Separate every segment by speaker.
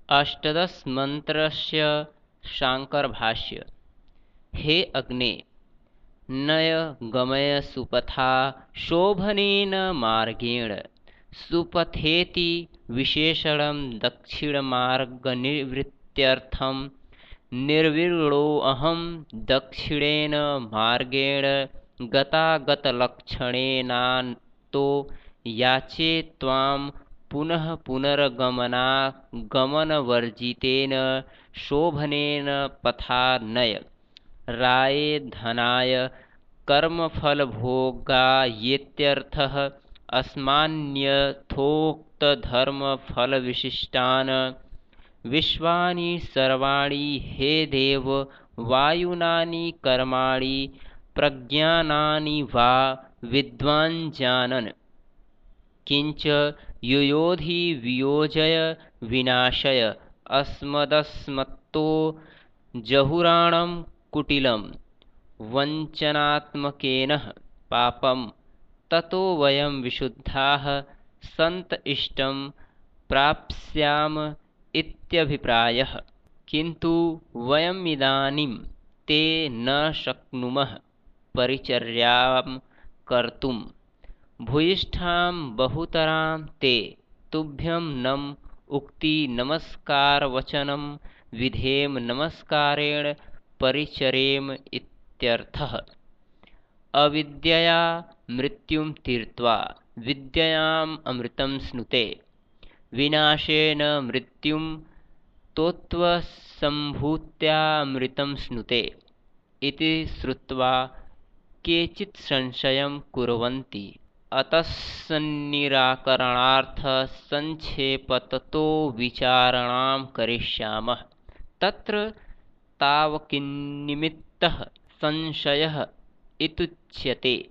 Speaker 1: अष्टादश मंत्रस्य शांकर भाष्य। हे अग्ने, नय गमय सुपथा शोभनेन मार्गेण। सुपथेति विशेषणं दक्षिणमार्गनिवृत्त्यर्थं। निर्विण्णोऽहं दक्षिणेन मार्गेण गतागतलक्षणेनातो याचे त्वां पुनः पुनर्गमनागमनवर्जितेन शोभनेन पथा नय। राये धनाय कर्मफलभोगायेत्यर्थः। अस्मान्यथोक्तधर्मफलविशिष्टान् विश्वानि सर्वाणि हे देव वायुनानि कर्माणि प्रज्ञानानि वा विद्वान् जानन्। किंच युयोधि वियोजय विनाशय अस्मदस्मत्तो जहुराणं कुटिलं वञ्चनात्मकेन पापं। ततो वयं विशुद्धाः सन्त इष्टं प्राप्स्याम इत्यभिप्रायः। किन्तु वयमिदानीं ते न शक्नुमः परिचर्यां कर्तुं। भूयिष्ठां बहुतरां ते तुभ्यं नम उक्ति नमस्कारवचनं विधेम नमस्कारेण परिचरेम इत्यर्थः। अविद्यया मृत्युं तीर्त्वा विद्ययाम् अमृतं स्नुते। विनाशेन मृत्युं तोत्वसम्भूत्यामृतं स्नुते इति श्रुत्वा केचित् संशयं कुर्वन्ति। अतस्सन्निराकरणार्थं संक्षेपततो विचारणां करिष्यामः। तत्र तावकिन्निमित्तः संशयः इत्युच्यते।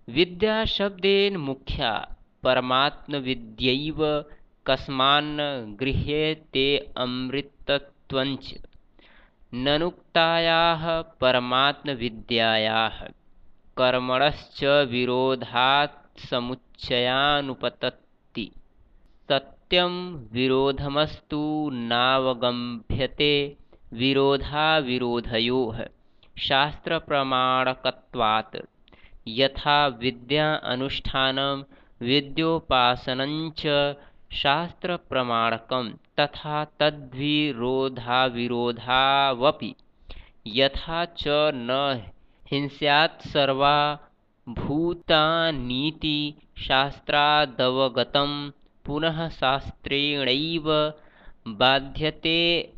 Speaker 1: विद्याशब्देन मुख्या परमात्मविद्यैव कस्मान्न गृह्यते अमृतत्वञ्च। ननुक्तायाः परमात्मविद्यायाः कर्मणश्च विरोधात् समुच्चयानुपपत्ति। सत्यं विरोधमस्तु नावगम्यते विरोधाविरोधयोः शास्त्रप्रमाणकत्वात्। यथा विद्या अनुष्ठानं विद्योपासनञ्च शास्त्रप्रमाणकं तथा तद्विरोधाविरोधावपि। यथा च न हिंस्यात् सर्वा भूतानीति शास्त्रादवगतं पुनः शास्त्रेणैव बाध्यते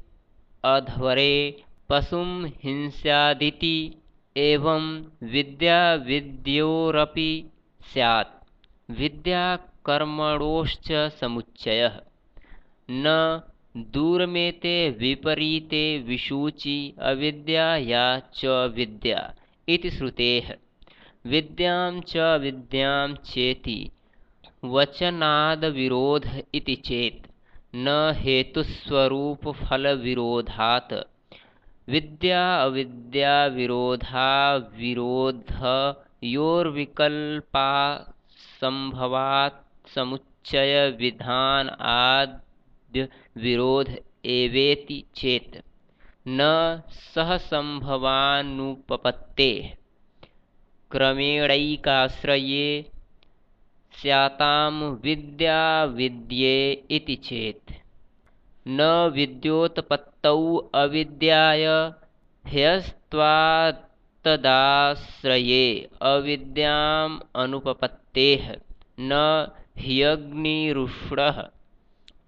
Speaker 1: अध्वरे पशुं हिंस्यादिति। एवं विद्या विद्योरपि स्यात्। विद्या कर्मणोश्च समुच्चयः। न दूरमेते विपरीते विशूचि अविद्या या च विद्या इति श्रुतेः। विद्यां च विद्यां चेति वचनादविरोध इति चेत् न हेतुस्वरूपफलविरोधात्। विद्या अविद्याविरोधाविरोधयोर्विकल्पासंभवात् समुच्चय विधान आद्य विरोध एवेति चेत् न सहसंभवानुपपत्तेः। क्रमेणैकाश्रये स्यातां विद्या विद्ये इति चेत् न विद्योत्पत्तौ अविद्याय ह्यस्त्वात्तदाश्रये अविद्याम् अनुपपत्तेः। न ह्यग्निरुष्णः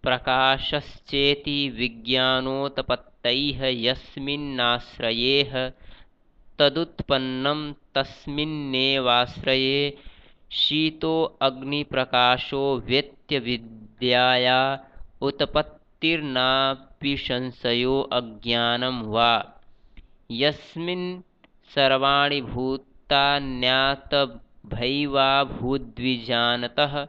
Speaker 1: प्रकाशश्चेति विज्ञानोत्पत्तैः यस्मिन्नाश्रयेह तदुत्पन्नं तस्मिन्नेवाश्रये। शीतो अग्निप्रकाशो वेत्य-विद्याया उत्पत्तिर्नापि संशयो अज्ञानं वा। यस्मिन् सर्वाणि भूतान्यातभैवाभूद्विजानतः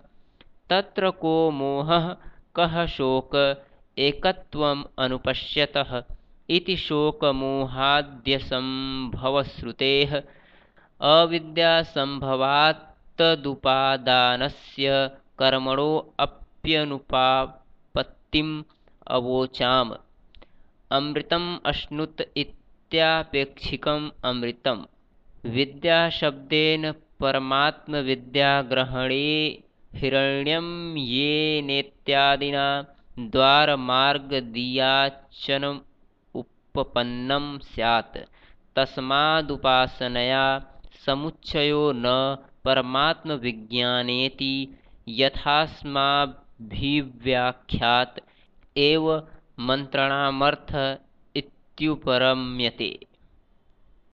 Speaker 1: तत्र को मोहः कः शोक एकत्वम् अनुपश्यतः इति शोकमोहाद्यसंभवश्रुतेः। अविद्यासंभवात्तदुपादानस्य कर्मणो अप्यनुपपत्तिम् अवोचाम। अमृतम् अश्नुत इत्यापेक्षिकम् अमृतम्। विद्याशब्देन परमात्मविद्याग्रहणे हिरण्यं येनेत्यादिना द्वारमार्गदीयाचनमुपपन्नं स्यात्। तस्मादुपासनया समुच्चयो न परमात्मविज्ञानेति यथास्माभिव्याख्यात एव मन्त्राणामर्थ इत्युपरम्यते।